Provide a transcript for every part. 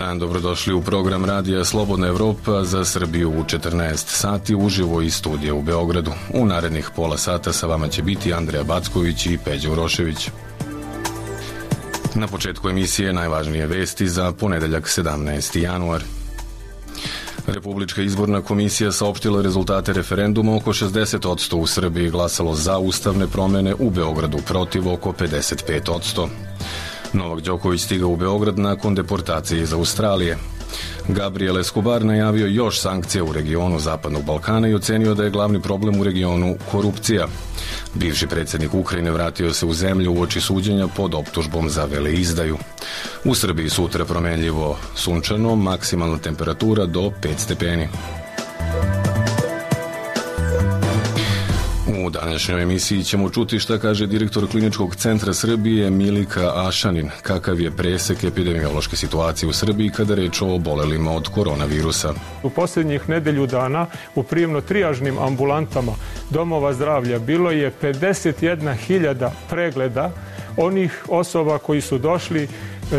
dan, dobrodošli u program radija Slobodna Evropa za Srbiju u 14 sati uživo iz studija u Beogradu. U narednih pola sata sa vama će biti Andreja Backović i Peđa Urošević. Na početku emisije najvažnije vesti za ponedeljak 17. januar. Republička izborna komisija saopštila rezultate referenduma. Oko 60% u Srbiji glasalo za ustavne promene, u Beogradu protiv oko 55%. Novak Đoković stigao u Beograd nakon deportacije iz Australije. Gabriel Escobar najavio još sankcije u regionu Zapadnog Balkana i ocenio da je glavni problem u regionu korupcija. Bivši predsjednik Ukrajine vratio se u zemlju uoči suđenja pod optužbom za veleizdaju. U Srbiji sutra promenljivo sunčano, maksimalna temperatura do 5 stepeni. U današnjoj emisiji ćemo čuti šta kaže direktor Kliničkog centra Srbije Milika Ašanin, kakav je presek epidemiološke situacije u Srbiji kada reč o obolelima od koronavirusa. U posljednjih nedelju dana u prijemno-trijažnim ambulantama domova zdravlja bilo je 51.000 pregleda onih osoba koji su došli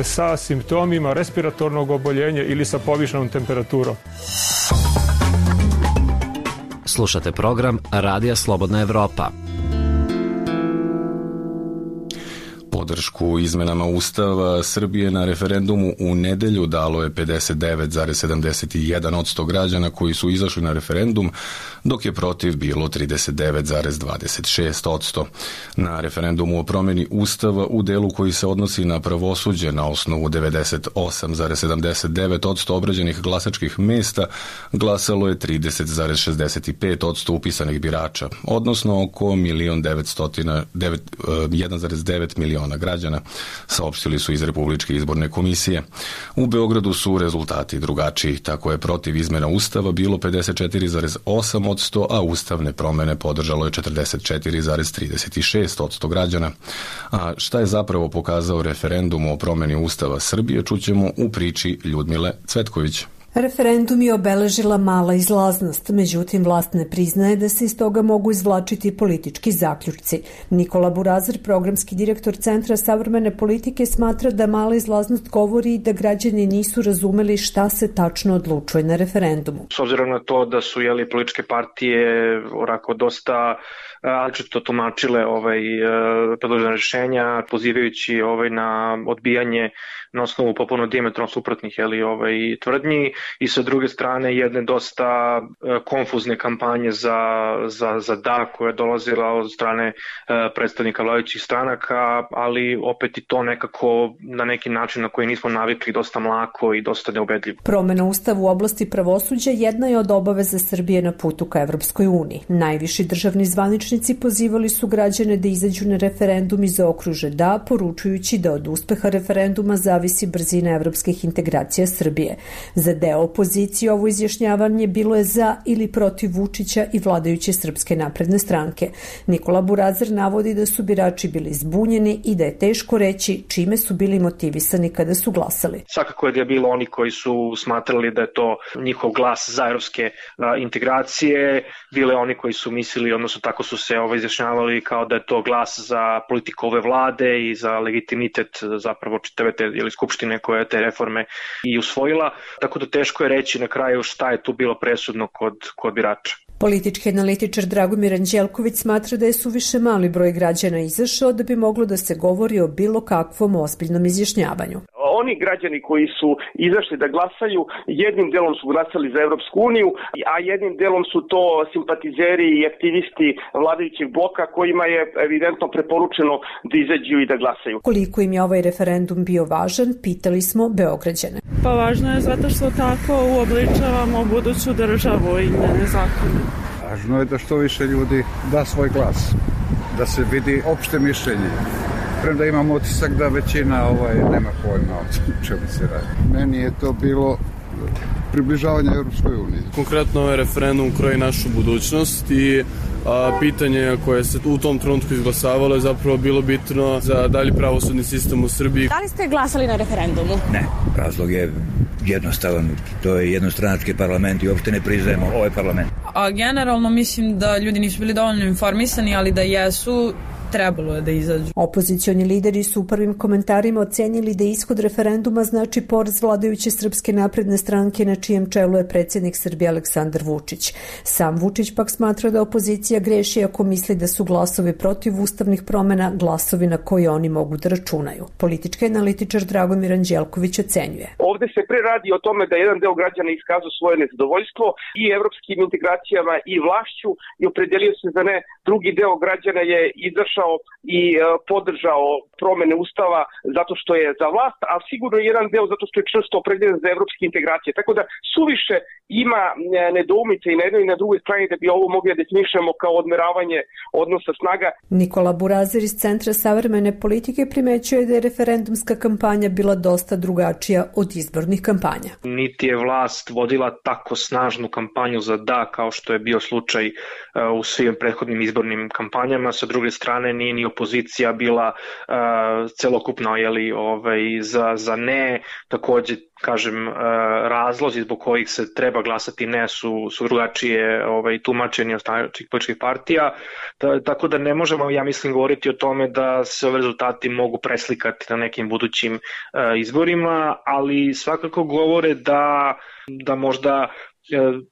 sa simptomima respiratornog oboljenja ili sa povišenom temperaturom. Slušate program Radija Slobodna Evropa. Podršku izmenama Ustava Srbije na referendumu u nedelju dalo je 59,71% građana koji su izašli na referendum, dok je protiv bilo 39,26%. Na referendumu o promjeni Ustava u delu koji se odnosi na pravosuđe na osnovu 98,79% obrađenih glasačkih mesta glasalo je 30,65% upisanih birača, odnosno oko 1,9 miliona građana, saopštili su iz Republičke izborne komisije. U Beogradu su rezultati drugačiji, tako je protiv izmena Ustava bilo 54,8%, a ustavne promene podržalo je 44,36% građana. A šta je zapravo pokazao referendum o promeni Ustava Srbije, čućemo u priči Ljudmile Cvetković. Referendum je obeležila mala izlaznost, međutim vlast ne priznaje da se iz toga mogu izvlačiti politički zaključci. Nikola Burazir, programski direktor Centra savremene politike, smatra da mala izlaznost govori da građani nisu razumeli šta se tačno odlučuje na referendumu. S obzirom na to da su političke partije orako dosta različito tumačile predložena rješenja, pozivajući na odbijanje na osnovu popuno dijametralno suprotnih tvrdnji, i sa druge strane jedne dosta konfuzne kampanje za da koja je dolazila od strane predstavnika vladajućih stranaka, ali opet i to nekako na neki način na koji nismo navikli, dosta mlako i dosta neubedljivo. Promena Ustava u oblasti pravosuđa jedna je od obaveza Srbije na putu ka Evropskoj uniji. Najviši državni zvaničnici pozivali su građane da izađu na referendum i zaokruže da, poručujući da od uspeha referenduma zavisi brzina evropskih integracija Srbije. Za deo opozicije ovo izjašnjavanje bilo je za ili protiv Vučića i vladajuće Srpske napredne stranke. Nikola Burazir navodi da su birači bili zbunjeni i da je teško reći čime su bili motivisani kada su glasali. Svakako je da je bilo oni koji su smatrali da je to njihov glas za evropske integracije, bile oni koji su mislili, odnosno tako su se izjašnjavali kao da je to glas za politiku ove vlade i za legitimitet zapravo čitave te skupštine koja je te reforme i usvojila, tako da teško je reći na kraju šta je tu bilo presudno kod birača. Politički analitičar Dragomir Anđelković smatra da je suviše mali broj građana izašao da bi moglo da se govori o bilo kakvom ozbiljnom izjašnjavanju. Oni građani koji su izašli da glasaju, jednim delom su glasali za Evropsku uniju, a jednim delom su to simpatizeri i aktivisti vladajućeg bloka kojima je evidentno preporučeno da izađu i da glasaju. Koliko im je ovaj referendum bio važan, pitali smo Beograđane. Pa važno je zato što tako uobličavamo buduću državu i njene zakone. Važno je da što više ljudi da svoj glas, da se vidi opšte mišljenje. Premda imam utisak da većina nema pojma o čemu se radi. Meni je to bilo približavanje Europskoj uniji. Konkretno ovaj referendum kroji našu budućnost i pitanje koje se u tom trenutku izglasavalo je zapravo bilo bitno za dalji pravosudni sistem u Srbiji. Da li ste glasali na referendumu? Ne, razlog je jednostavan. To je jednostranački parlament i uopšte ne priznajemo ovaj parlament. Generalno mislim da ljudi nisu bili dovoljno informisani, ali da jesu, trebalo je da izađu. Opozicioni lideri su u prvim komentarima ocenili da ishod referenduma znači poraz vladajuće Srpske napredne stranke na čijem čelu je predsjednik Srbije Aleksandar Vučić. Sam Vučić pak smatra da opozicija greši ako misli da su glasovi protiv ustavnih promjena glasovi na koje oni mogu da računaju. Politički analitičar Dragomir Anđelković ocenjuje. Ovde se pre radi o tome da jedan deo građana iskazao svoje nezadovoljstvo i evropskim integracijama i vlašću i opredelio se za ne. Drugi deo građana je izašao i podržao promene ustava zato što je za vlast, a sigurno jedan deo zato što je čvrsto opredeljen za evropske integracije. Tako da suviše ima nedoumice i na jednoj i na drugoj strani da bi ovo mogli da definišemo kao odmeravanje odnosa snaga. Nikola Burazer iz Centra savremene politike primećuje da je referendumska kampanja bila dosta drugačija od izbornih kampanja. Niti je vlast vodila tako snažnu kampanju za da kao što je bio slučaj u svim prethodnim izbornim kampanjama. Sa druge strane nije ni opozicija bila celokupno za ne. Takođe, kažem, razlozi zbog kojih se treba glasati ne su drugačije tumačeni od stranačkih političkih partija, tako da ne možemo, ja mislim, govoriti o tome da se ove rezultati mogu preslikati na nekim budućim izborima, ali svakako govore da možda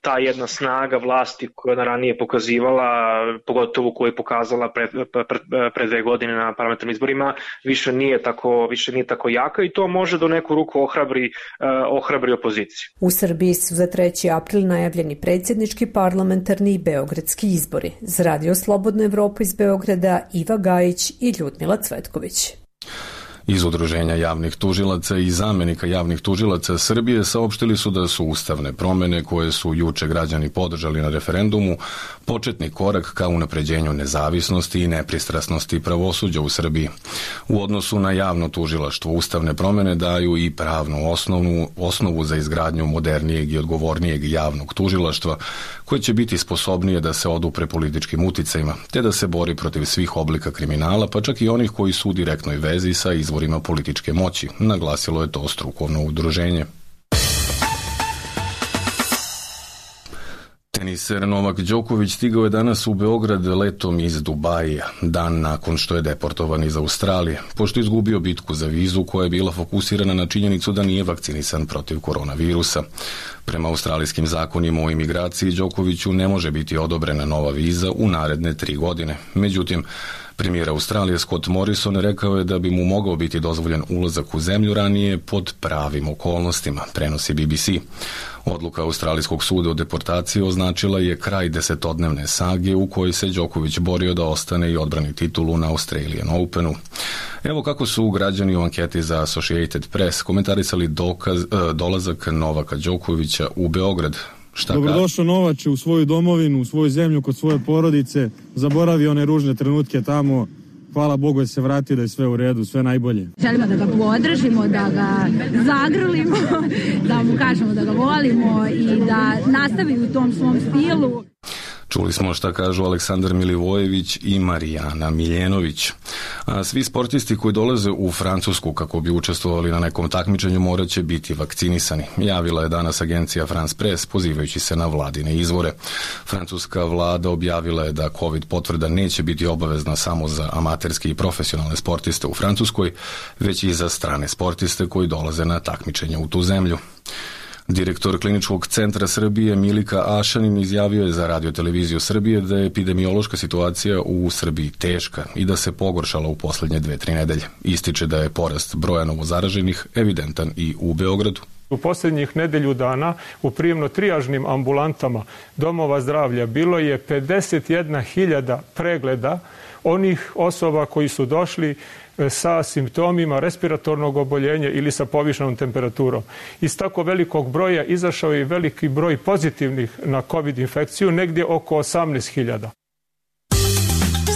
ta jedna snaga vlasti koja je ranije pokazivala, pogotovo koju je pokazala pre 2 godine na parlamentarnim izborima, više nije tako jaka i to može do neku ruku ohrabri opoziciju. U Srbiji su za 3. april najavljeni predsjednički, parlamentarni i beogradski izbori. Za Radio Slobodna Evropa iz Beograda Iva Gajić i Ljudmila Cvetković. Iz Udruženja javnih tužilaca i zamenika javnih tužilaca Srbije saopštili su da su ustavne promene koje su juče građani podržali na referendumu početni korak ka unapređenju nezavisnosti i nepristrasnosti pravosuđa u Srbiji. U odnosu na javno tužilaštvo ustavne promene daju i pravnu osnovu za izgradnju modernijeg i odgovornijeg javnog tužilaštva koje će biti sposobnije da se odupre političkim uticajima te da se bori protiv svih oblika kriminala, pa čak i onih koji su u direktnoj vezi sa izvorima političke moći, naglasilo je to strukovno udruženje. Teniser Novak Đoković stigao je danas u Beograd letom iz Dubaija, dan nakon što je deportovan iz Australije, pošto je izgubio bitku za vizu koja je bila fokusirana na činjenicu da nije vakcinisan protiv koronavirusa. Prema australijskim zakonima o imigraciji Đokoviću ne može biti odobrena nova viza u naredne 3 godine. Međutim, premijer Australije Scott Morrison rekao je da bi mu mogao biti dozvoljen ulazak u zemlju ranije pod pravim okolnostima, prenosi BBC. Odluka Australijskog suda o deportaciji označila je kraj 10-dnevne sage u kojoj se Đoković borio da ostane i odbrani titulu na Australian Openu. Evo kako su građani u anketi za Associated Press komentarisali dolazak Novaka Đokovića u Beograd. Dobrodošao Novače u svoju domovinu, u svoju zemlju, kod svoje porodice. Zaboravi one ružne trenutke tamo. Hvala Bogu da se vratio, da je sve u redu, sve najbolje. Želimo da ga podržimo, da ga zagrlimo, da mu kažemo da ga volimo i da nastavi u tom svom stilu. Čuli smo šta kažu Aleksandar Milivojević i Marijana Miljenović. A svi sportisti koji dolaze u Francusku kako bi učestvovali na nekom takmičenju morat će biti vakcinisani. Javila je danas agencija France Press pozivajući se na vladine izvore. Francuska vlada objavila je da COVID potvrda neće biti obavezna samo za amaterske i profesionalne sportiste u Francuskoj, već i za strane sportiste koji dolaze na takmičenje u tu zemlju. Direktor Kliničkog centra Srbije Milika Ašanin izjavio je za Radio-televiziju Srbije da je epidemiološka situacija u Srbiji teška i da se pogoršala u poslednje 2-3 nedelje. Ističe da je porast broja novozaraženih evidentan i u Beogradu. U posljednjih nedelju dana u prijemno-trijažnim ambulantama domova zdravlja bilo je 51.000 pregleda onih osoba koji su došli sa simptomima respiratornog oboljenja ili sa povišenom temperaturom. Iz tako velikog broja izašao je veliki broj pozitivnih na COVID infekciju, negdje oko 18.000.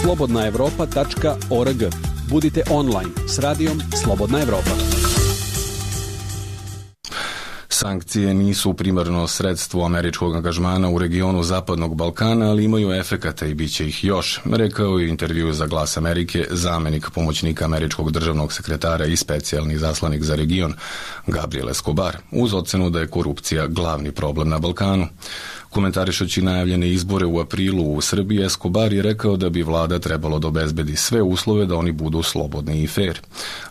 slobodnaevropa.org. Budite online s radijom Slobodna Evropa. Sankcije nisu primarno sredstvo američkog angažmana u regionu Zapadnog Balkana, ali imaju efekata i bit će ih još, rekao je u intervjuu za Glas Amerike zamenik pomoćnika američkog državnog sekretara i specijalni zaslanik za region Gabriel Escobar, uz ocenu da je korupcija glavni problem na Balkanu. Komentarišući najavljene izbore u aprilu u Srbiji, Escobar je rekao da bi vlada trebalo da obezbedi sve uslove da oni budu slobodni i fair.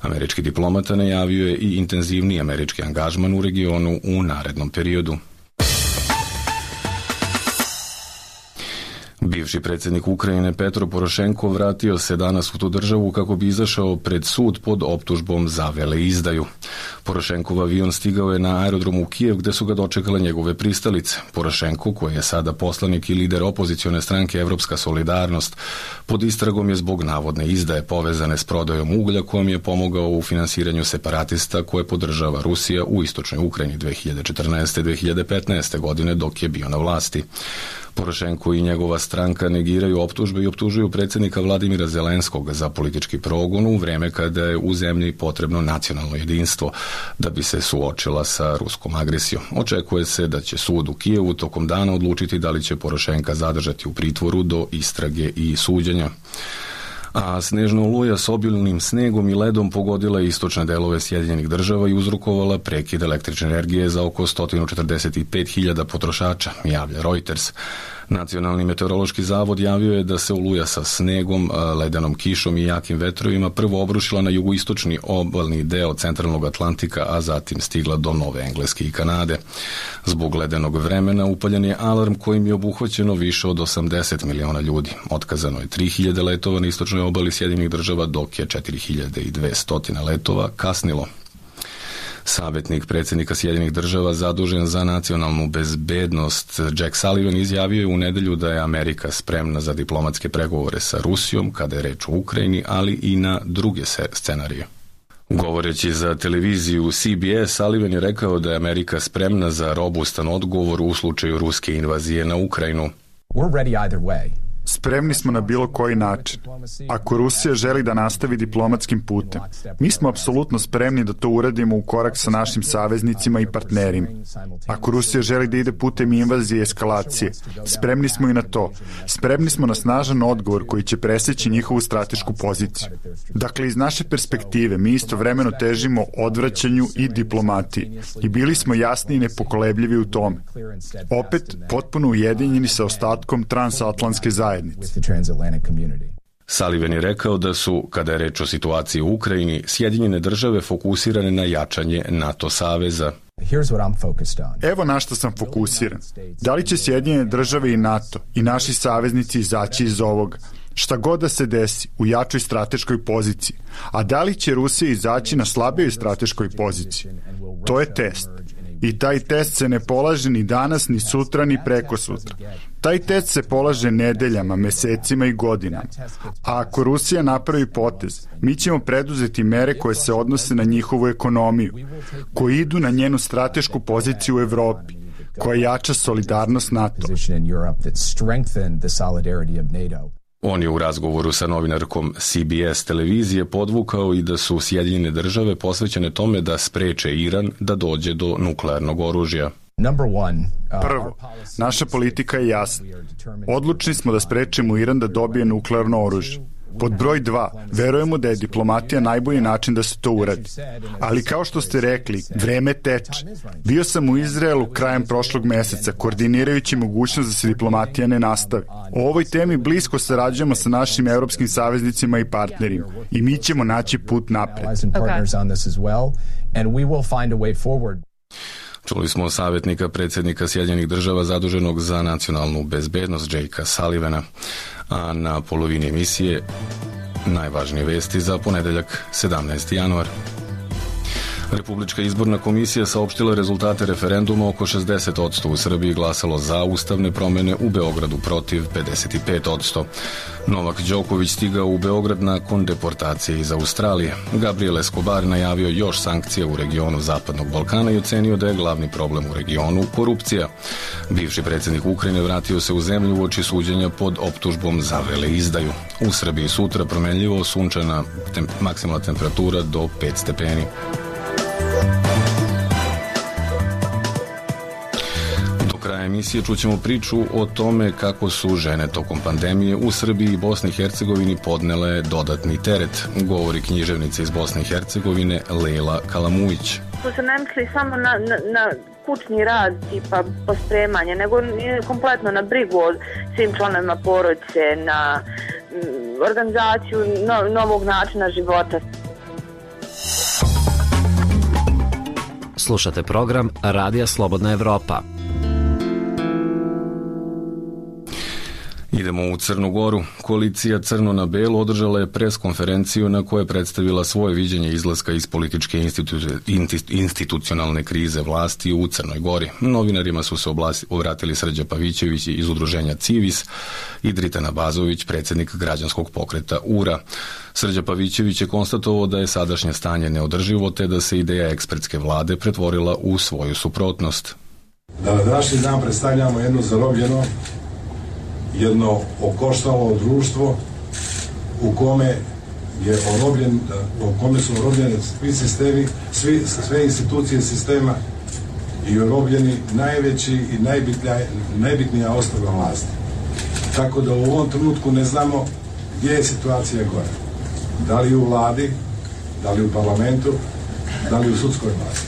Američki diplomata najavio je i intenzivniji američki angažman u regionu u narednom periodu. Bivši predsjednik Ukrajine Petro Porošenko vratio se danas u tu državu kako bi izašao pred sud pod optužbom za veleizdaju. Porošenkov avion stigao je na aerodromu u Kijev gde su ga dočekale njegove pristalice. Porošenko, koji je sada poslanik i lider opozicione stranke Evropska solidarnost, pod istragom je zbog navodne izdaje povezane s prodajom uglja kojom je pomogao u finansiranju separatista koje podržava Rusija u istočnoj Ukrajini 2014-2015. godine dok je bio na vlasti. Porošenko i njegova stranka negiraju optužbe i optužuju predsjednika Vladimira Zelenskog za politički progon u vreme kada je u zemlji potrebno nacionalno jedinstvo da bi se suočila sa ruskom agresijom. Očekuje se da će sud u Kijevu tokom dana odlučiti da li će Porošenka zadržati u pritvoru do istrage i suđenja. A snežna oluja s obilnim snegom i ledom pogodila istočne delove Sjedinjenih država i uzrokovala prekid električne energije za oko 145.000 potrošača, javlja Reuters. Nacionalni meteorološki zavod javio je da se oluja sa snegom, ledenom kišom i jakim vetrovima prvo obrušila na jugoistočni obalni deo centralnog Atlantika, a zatim stigla do Nove Engleske i Kanade. Zbog ledenog vremena upaljen je alarm kojim je obuhvaćeno više od 80 miliona ljudi. Otkazano je 3.000 letova na istočnoj obali Sjedinjenih država, dok je 4.200 letova kasnilo. Savjetnik predsjednika Sjedinjenih država zadužen za nacionalnu bezbednost Jack Sullivan izjavio je u nedelju da je Amerika spremna za diplomatske pregovore sa Rusijom kada je reč o Ukrajini, ali i na druge scenarije. Govoreći za televiziju CBS, Sullivan je rekao da je Amerika spremna za robustan odgovor u slučaju ruske invazije na Ukrajinu. We're ready either way. Spremni smo na bilo koji način. Ako Rusija želi da nastavi diplomatskim putem, mi smo apsolutno spremni da to uradimo u korak sa našim saveznicima i partnerima. Ako Rusija želi da ide putem invazije i eskalacije, spremni smo i na to. Spremni smo na snažan odgovor koji će preseći njihovu stratešku poziciju. Dakle, iz naše perspektive mi istovremeno težimo odvraćanju i diplomatiji i bili smo jasni i nepokolebljivi u tome. Opet, potpuno ujedinjeni sa ostatkom transatlantske zajednice. Sullivan je rekao da su, kada je reč o situaciji u Ukrajini, Sjedinjene države fokusirane na jačanje NATO saveza. Evo na što sam fokusiran. Da li će Sjedinjene države i NATO i naši saveznici izaći iz ovoga? Šta god da se desi u jačoj strateškoj poziciji. A da li će Rusija izaći na slabijoj strateškoj poziciji? To je test. I taj test se ne polaže ni danas, ni sutra, ni preko sutra. Taj test se polaže nedeljama, mesecima i godinama. A ako Rusija napravi potez, mi ćemo preduzeti mere koje se odnose na njihovu ekonomiju, koje idu na njenu stratešku poziciju u Evropi, koja jača solidarnost NATO. On je u razgovoru sa novinarkom CBS televizije podvukao i da su Sjedinjene države posvećene tome da spreče Iran da dođe do nuklearnog oružja. Prvo, naša politika je jasna. Odlučni smo da sprečimo Iran da dobije nuklearno oružje. Pod broj 2, verujemo da je diplomatija najbolji način da se to uradi. Ali kao što ste rekli, vreme teče. Bio sam u Izraelu krajem prošlog meseca, koordinirajući mogućnost da se diplomatija ne nastavi. O ovoj temi blisko sarađujemo sa našim evropskim saveznicima i partnerima i mi ćemo naći put napred. Čuli smo savjetnika predsjednika Sjedinjenih država zaduženog za nacionalnu bezbednost Jakea Sullivana, a na polovini emisije najvažnije vesti za ponedeljak 17. januar. Republička izborna komisija saopštila rezultate referenduma. Oko 60% u Srbiji glasalo za ustavne promjene, u Beogradu protiv 55%. Novak Đoković stigao u Beograd nakon deportacije iz Australije. Gabriel Escobar najavio još sankcije u regionu Zapadnog Balkana i ocenio da je glavni problem u regionu korupcija. Bivši predsjednik Ukrajine vratio se u zemlju uoči suđenja pod optužbom za veleizdaju. U Srbiji sutra promenljivo, sunčana, maksimalna temperatura do 5 stepeni. Emisije čućemo priču o tome kako su žene tokom pandemije u Srbiji i Bosni i Hercegovini podnele dodatni teret, govori književnica iz Bosne i Hercegovine Lejla Kalamujić. Su se ne misli samo na kućni rad, tipa pospremanje, nego kompletno na brigu o svim članovima porodice, na organizaciju novog načina života. Slušate program Radija Slobodna Evropa. Idemo u Crnu Goru. Koalicija Crno na belo održala je preskonferenciju na kojoj je predstavila svoje viđenje izlaska iz političke institucionalne krize vlasti u Crnoj Gori. Novinarima su se obratili Srđa Pavićević iz udruženja Civis i Dritana Bazović, predsjednik građanskog pokreta URA. Srđa Pavićević je konstatovao da je sadašnje stanje neodrživo te da se ideja ekspertske vlade pretvorila u svoju suprotnost. Da na današnji dan predstavljamo jedno zarobljeno, jedno okoštalo društvo u kome su orobljeni svi sistemi, sve institucije sistema i orobljeni najveći i najbitnija osnova vlasti. Tako da u ovom trenutku ne znamo gdje je situacija gore. Da li u vladi, da li u parlamentu, da li u sudskoj vlasti.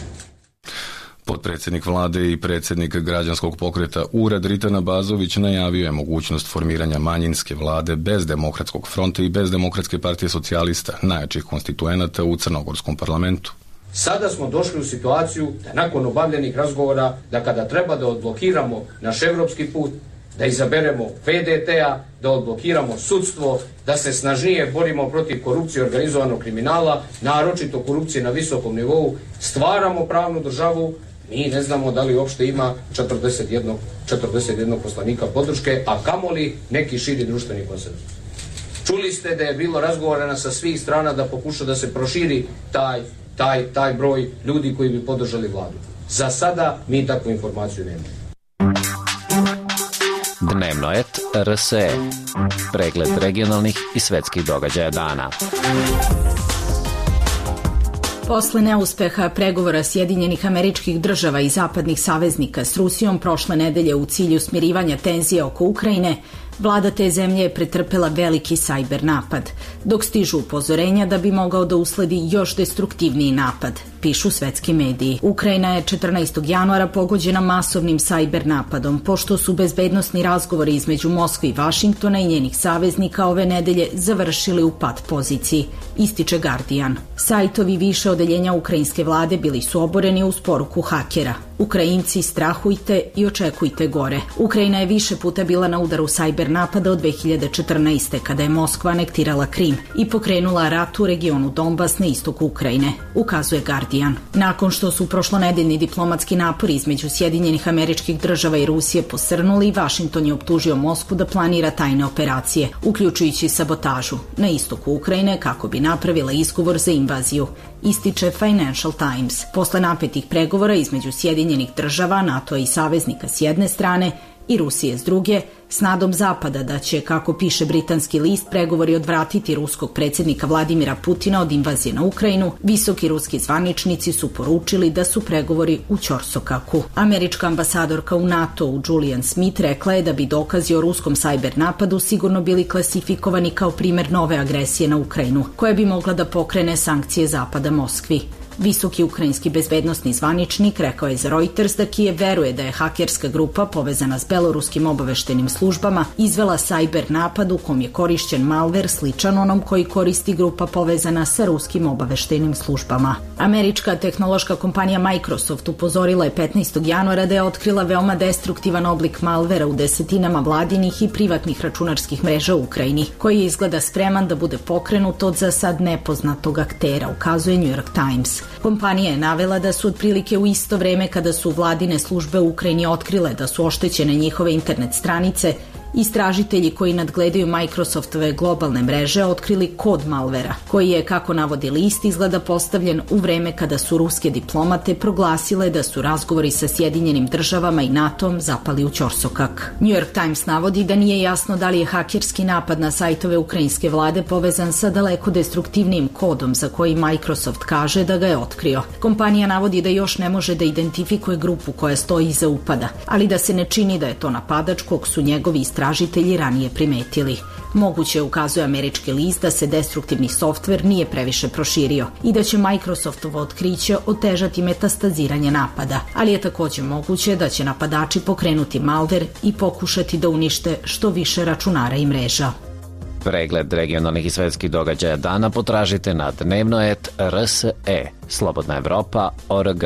Potpredsjednik vlade i predsjednik građanskog pokreta URA Dritana Bazović najavio je mogućnost formiranja manjinske vlade bez Demokratskog fronta i bez Demokratske partije socijalista, najjačih konstituenata u crnogorskom parlamentu. Sada smo došli u situaciju da nakon obavljenih razgovora, da kada treba da odblokiramo naš evropski put, da izaberemo VDT-a, da odblokiramo sudstvo, da se snažnije borimo protiv korupcije i organizovanog kriminala, naročito korupcije na visokom nivou, stvaramo pravnu državu. Mi ne znamo da li uopšte ima 41 poslanika podrške, a kamoli neki širi društveni konsenzus. Čuli ste da je bilo razgovorena sa svih strana da pokuša da se proširi taj broj ljudi koji bi podržali vladu. Za sada mi takvu informaciju nemamo. Dnevno et RSE. Pregled regionalnih i svetskih događaja dana. Posle neuspeha pregovora Sjedinjenih Američkih Država i zapadnih saveznika s Rusijom prošle nedelje u cilju smirivanja tenzije oko Ukrajine, vlada te zemlje je pretrpela veliki sajber napad, dok stižu upozorenja da bi mogao da usledi još destruktivniji napad, pišu svetski mediji. Ukrajina je 14. januara pogođena masovnim sajber napadom, pošto su bezbednosni razgovori između Moskve i Vašingtona i njenih saveznika ove nedelje završili u pad poziciji, ističe Guardian. Sajtovi više odeljenja ukrajinske vlade bili su oboreni uz poruku hakera. Ukrajinci, strahujte i očekujte gore. Ukrajina je više puta bila na udaru sajber napada od 2014. kada je Moskva anektirala Krim i pokrenula rat u regionu Donbas na istoku Ukrajine, ukazuje Guardian. Nakon što su prošlonedeljni diplomatski napori između Sjedinjenih Američkih Država i Rusije posrnuli, Vašington je optužio Moskvu da planira tajne operacije, uključujući sabotažu, na istoku Ukrajine kako bi napravila izgovor za invaziju, ističe Financial Times. Posle napetih pregovora između Sjedinjenih Država, NATO i saveznika s jedne strane i Rusije s druge, s nadom Zapada da će, kako piše britanski list, pregovori odvratiti ruskog predsjednika Vladimira Putina od invazije na Ukrajinu, visoki ruski zvaničnici su poručili da su pregovori u ćorsokaku. Američka ambasadorka u NATO-u Julian Smith rekla je da bi dokazi o ruskom sajber napadu sigurno bili klasifikovani kao primer nove agresije na Ukrajinu, koja bi mogla da pokrene sankcije Zapada Moskvi. Visoki ukrajinski bezbednosni zvaničnik rekao je za Reuters da Kijev veruje da je hakerska grupa povezana s beloruskim obaveštenim službama izvela sajber napad u kom je korišćen malver sličan onom koji koristi grupa povezana sa ruskim obaveštenim službama. Američka tehnološka kompanija Microsoft upozorila je 15. januara da je otkrila veoma destruktivan oblik malvera u desetinama vladinih i privatnih računarskih mreža u Ukrajini, koji je izgleda spreman da bude pokrenut od za sad nepoznatog aktera, ukazuje New York Times. Kompanija je navela da su otprilike u isto vreme kada su vladine službe u Ukrajini otkrile da su oštećene njihove internet stranice, istražitelji koji nadgledaju Microsoftove globalne mreže otkrili kod malvera, koji je, kako navodi list, izgleda postavljen u vreme kada su ruske diplomate proglasile da su razgovori sa Sjedinjenim Državama i NATO-om zapali u ćorsokak. New York Times navodi da nije jasno da li je hakerski napad na sajtove ukrajinske vlade povezan sa daleko destruktivnijim kodom za koji Microsoft kaže da ga je otkrio. Kompanija navodi da još ne može da identifikuje grupu koja stoji iza upada, ali da se ne čini da je to napadač kog su njegovi istražitelji ranije primetili. Moguće, ukazuje američki list, da se destruktivni softver nije previše proširio i da će Microsoftovo otkriće otežati metastaziranje napada, ali je također moguće da će napadači pokrenuti malver i pokušati da unište što više računara i mreža. Pregled regionalnih i svetskih događaja dana potražite na dnevno.rs.e, slobodnaevropa.org.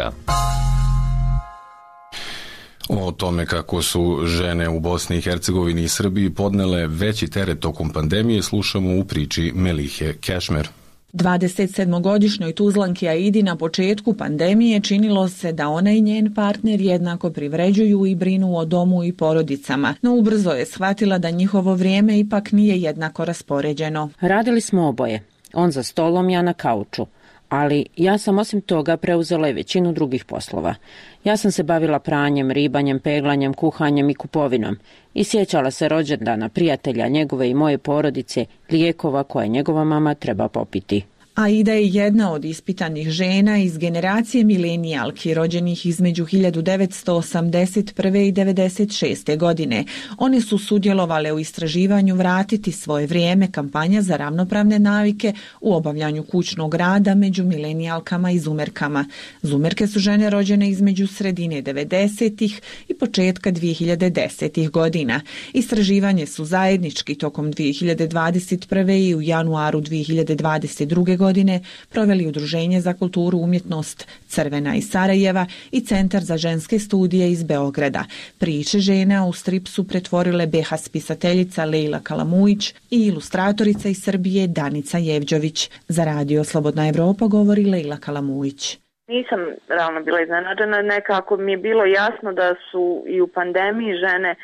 O tome kako su žene u Bosni i Hercegovini i Srbiji podnele veći teret tokom pandemije slušamo u priči Melihe Kešmer. 27-godišnjoj Tuzlanki Aidi na početku pandemije činilo se da ona i njen partner jednako privređuju i brinu o domu i porodicama, no ubrzo je shvatila da njihovo vrijeme ipak nije jednako raspoređeno. Radili smo oboje, on za stolom, ja na kauču, ali ja sam osim toga preuzela i većinu drugih poslova. Ja sam se bavila pranjem, ribanjem, peglanjem, kuhanjem i kupovinom i sjećala se rođendana prijatelja njegove i moje porodice, lijekova koje njegova mama treba popiti. Aida je jedna od ispitanih žena iz generacije milenijalki rođenih između 1981. i 1996. godine. One su sudjelovale u istraživanju Vratiti svoje vrijeme, kampanja za ravnopravne navike u obavljanju kućnog rada među milenijalkama i zumerkama. Zumerke su žene rođene između sredine 90-ih i početka 2010-ih godina. Istraživanje su zajednički tokom 2021. i u januaru 2022. godine proveli Udruženje za kulturu umjetnost Crvena iz Sarajeva i Centar za ženske studije iz Beograda. Priče žena u strip su pretvorile BH spisateljica Lejla Kalamujić i ilustratorica iz Srbije Danica Jevđović. Za Radio Slobodna Evropa govori Lejla Kalamujić. Nisam realno bila iznenađena, nekako mi je bilo jasno da su i u pandemiji žene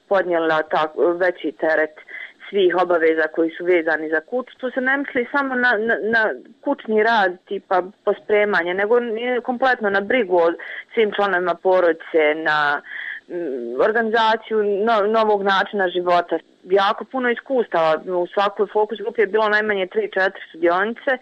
podnijela veći teret svih obaveza koji su vezani za kuću. Tu se ne misli samo na kućni rad, tipa pospremanje, nego kompletno na brigu o svim članovima porodice, na organizaciju novog načina života. Jako puno iskustava. U svakoj fokus grupi je bilo najmanje 3-4 sudionice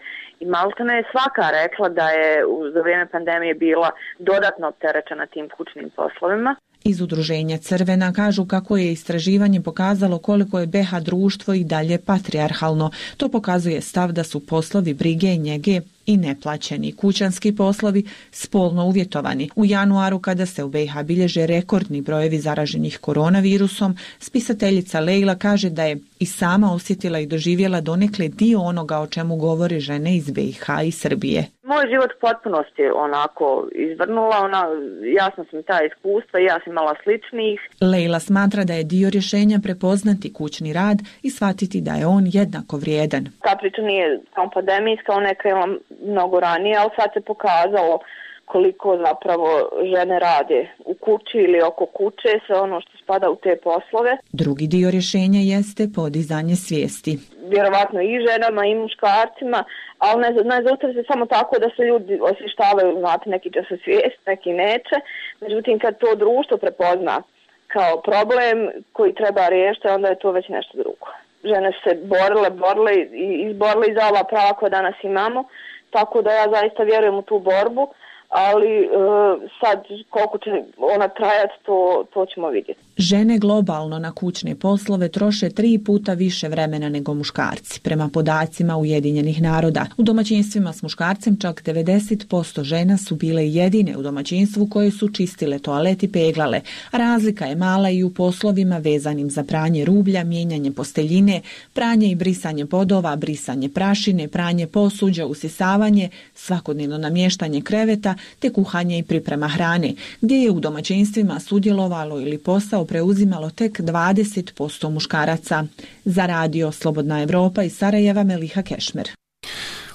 i maltene je svaka rekla da je za vrijeme pandemije bila dodatno opterećena tim kućnim poslovima. Iz Udruženja Crvena kažu kako je istraživanje pokazalo koliko je BH društvo i dalje patrijarhalno. To pokazuje stav da su poslovi brige i njege i neplaćeni kućanski poslovi spolno uvjetovani. U januaru, kada se u BiH bilježe rekordni brojevi zaraženih koronavirusom, spisateljica Lejla kaže da je i sama osjetila i doživjela donekle dio onoga o čemu govore žene iz BiH i Srbije. Moj život u potpunosti onako izvrnula, jasno sam ta iskustva i ja sam imala sličnih. Lejla smatra da je dio rješenja prepoznati kućni rad i shvatiti da je on jednako vrijedan. Ta priča nije samo pandemijska, ona je krenula mnogo ranije, ali sad se pokazalo koliko zapravo žene rade u kući ili oko kuće, sve ono što spada u te poslove. Drugi dio rješenja jeste podizanje svijesti. Vjerovatno i ženama i muškarcima, ali ne zaustavi se samo tako da se ljudi osvještavaju, znate, neki će se svijest, neki neće. Međutim, kad to društvo prepozna kao problem koji treba riješiti, onda je to već nešto drugo. Žene su se borile i izborile za ova prava koja danas imamo, tako da ja zaista vjerujem u tu borbu, ali sad koliko će ona trajati, to ćemo vidjeti. Žene globalno na kućne poslove troše 3 puta više vremena nego muškarci, prema podacima Ujedinjenih naroda. U domaćinstvima s muškarcem čak 90% žena su bile jedine u domaćinstvu koje su čistile toalet i peglale. Razlika je mala i u poslovima vezanim za pranje rublja, mijenjanje posteljine, pranje i brisanje podova, brisanje prašine, pranje posuđa, usisavanje, svakodnevno namještanje kreveta te kuhanje i priprema hrane, gdje je u domaćinstvima sudjelovalo ili posao preuzimalo tek 20% muškaraca. Za Radio Slobodna Evropa iz Sarajeva Meliha Kešmer.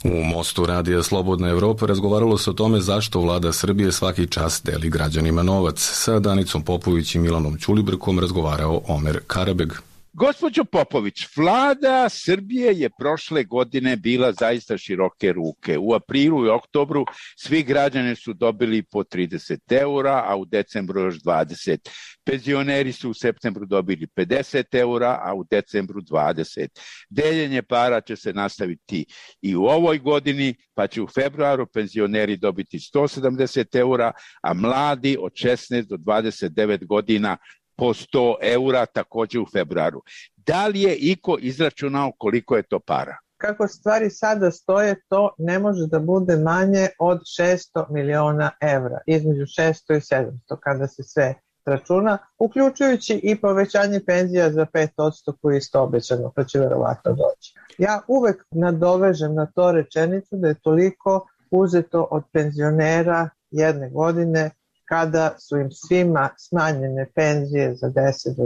U Mostu Radija Slobodna Evropa razgovaralo se o tome zašto vlada Srbije svaki čas deli građanima novac. Sa Danicom Popović i Milanom Ćulibrkom razgovarao Omer Karabeg. Gospođo Popović, vlada Srbije je prošle godine bila zaista široke ruke. U aprilu i oktobru svi građani su dobili po 30 eura, a u decembru još 20. Penzioneri su u septembru dobili 50 eura, a u decembru 20. Deljenje para će se nastaviti i u ovoj godini, pa će u februaru penzioneri dobiti 170 eura, a mladi od 16 do 29 godina po 100 eura takođe u februaru. Da li je iko izračunao koliko je to para? Kako stvari sada stoje, to ne može da bude manje od 600 miliona evra, između 600 i 700 kada se sve računa, uključujući i povećanje penzija za 5% koji je isto obećano, pa će verovatno doći. Ja uvek nadovežem na to rečenicu da je toliko uzeto od penzionera jedne godine kada su im svima smanjene penzije za 10 do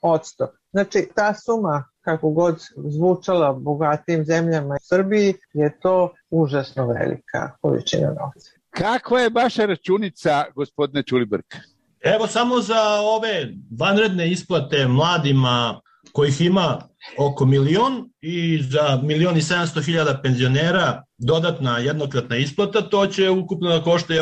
20%. Znači, ta suma, kako god zvučala bogatim zemljama u Srbiji, je to užasno velika količina novca. Kakva je vaša računica, gospodine Ćulibrk? Evo samo za ove vanredne isplate mladima kojih ima oko 1.000.000 i za 1.700.000 penzionera dodatna jednokratna isplata, to će ukupno da košta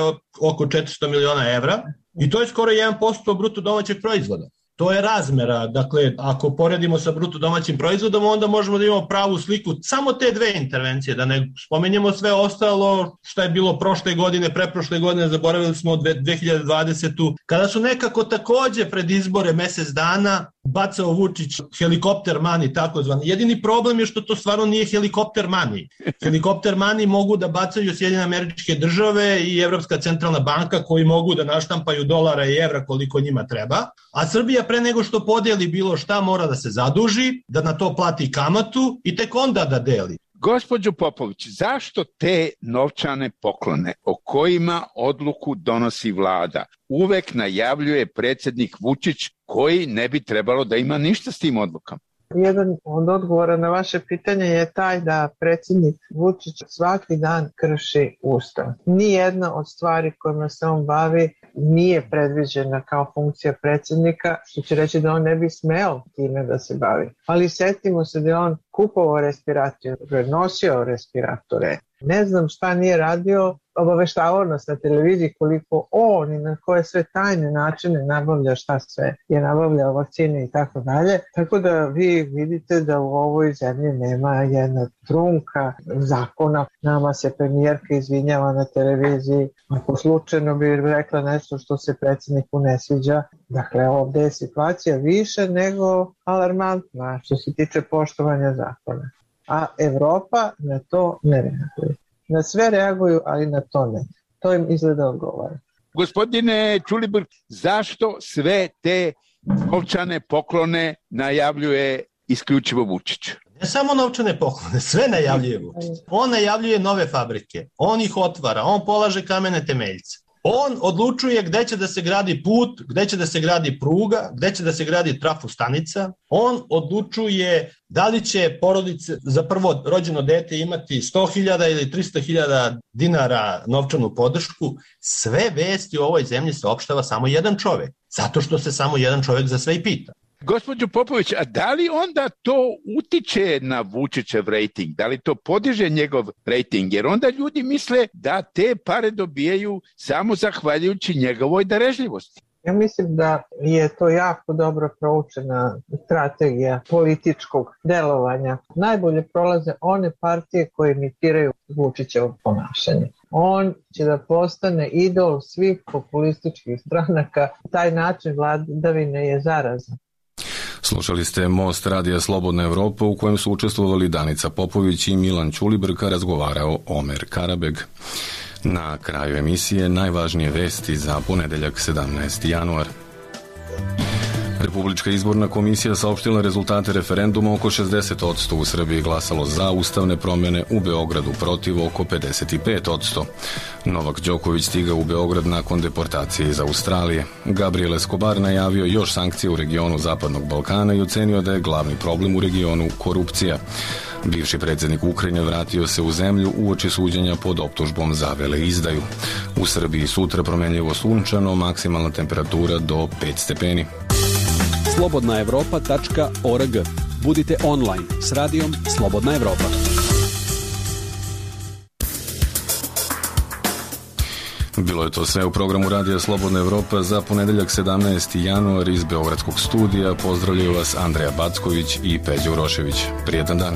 oko 400 miliona evra i to je skoro 1% bruto domaćeg proizvoda. To je razmera, dakle, ako poredimo sa bruto domaćim proizvodom, onda možemo da imamo pravu sliku samo te dve intervencije, da ne spomenjemo sve ostalo što je bilo prošle godine, preprošle godine, zaboravili smo 2020. Kada su nekako takođe pred izbore mesec dana bacao Vučić helikopter money, takozvani. Jedini problem je što to stvarno nije helikopter money. Helikopter money mogu da bacaju Sjedinjene Američke Države i Evropska centralna banka koji mogu da naštampaju dolara i evra koliko njima treba, a Srbija pre nego što podeli bilo šta mora da se zaduži, da na to plati kamatu i tek onda da deli. Gospođo Popović, zašto te novčane poklone o kojima odluku donosi vlada uvek najavljuje predsjednik Vučić koji ne bi trebalo da ima ništa s tim odlukama? Jedan od odgovora na vaše pitanje je taj da predsjednik Vučić svaki dan krši ustav. Nijedna od stvari kojima se on bavi nije predviđena kao funkcija predsjednika, što će reći da on ne bi smeo time da se bavi. Ali setimo se da je on kupovao respiratore, nosio respiratore. Ne znam šta nije radio, obaveštavao nas na televiziji koliko on i na koje sve tajne načine nabavlja šta sve je nabavljao, vakcine i tako dalje. Tako da vi vidite da u ovoj zemlji nema jedna trunka zakona. Nama se premijerka izvinjava na televiziji, ako slučajno bi rekla nešto što se predsjedniku ne sviđa. Dakle, ovdje je situacija više nego alarmantna što se tiče poštovanja zakona. A Evropa na to ne reaguje. Na sve reaguju, ali na to ne. To im izgleda odgovara. Gospodine Ćulibrk, zašto sve te novčane poklone najavljuje isključivo Vučić? Ne samo novčane poklone, sve najavljuje Vučić. On najavljuje nove fabrike, on ih otvara, on polaže kamene temeljce. On odlučuje gde će da se gradi put, gde će da se gradi pruga, gde će da se gradi trafostanica. On odlučuje da li će porodice za prvo rođeno dete imati 100.000 ili 300.000 dinara novčanu podršku. Sve vesti u ovoj zemlji saopštava samo jedan čovek, zato što se samo jedan čovek za sve i pita. Gospođo Popović, a da li onda to utiče na Vučićev rejting? Da li to podiže njegov rejting? Jer onda ljudi misle da te pare dobijaju samo zahvaljujući njegovoj darežljivosti. Ja mislim da je to jako dobro proučena strategija političkog delovanja. Najbolje prolaze one partije koje imitiraju Vučićevo ponašanje. On će da postane idol svih populističkih stranaka. Taj način vladavine je zarazan. Slušali ste Most radija Slobodna Evropa u kojem su učestvovali Danica Popović i Milan Ćulibrk, razgovarao Omer Karabeg. Na kraju emisije najvažnije vesti za ponedeljak 17. januar. Republička izborna komisija saopštila rezultate referenduma, oko 60% u Srbiji glasalo za ustavne promjene, u Beogradu protiv oko 55%. Novak Đoković stigao u Beograd nakon deportacije iz Australije. Gabriel Escobar najavio još sankcije u regionu Zapadnog Balkana i ocenio da je glavni problem u regionu korupcija. Bivši predsjednik Ukrajine vratio se u zemlju uoči suđenja pod optužbom za veleizdaju. U Srbiji sutra promenljivo sunčano, maksimalna temperatura do 5 stepeni. slobodnaevropa.org. Budite online s radijom Slobodna Evropa. Bilo je to sve u programu Radija Slobodna Evropa za ponedeljak 17. januar. Iz Beogradskog studija pozdravljaju vas Andreja Backović i Peđa Urošević. Prijetan dan.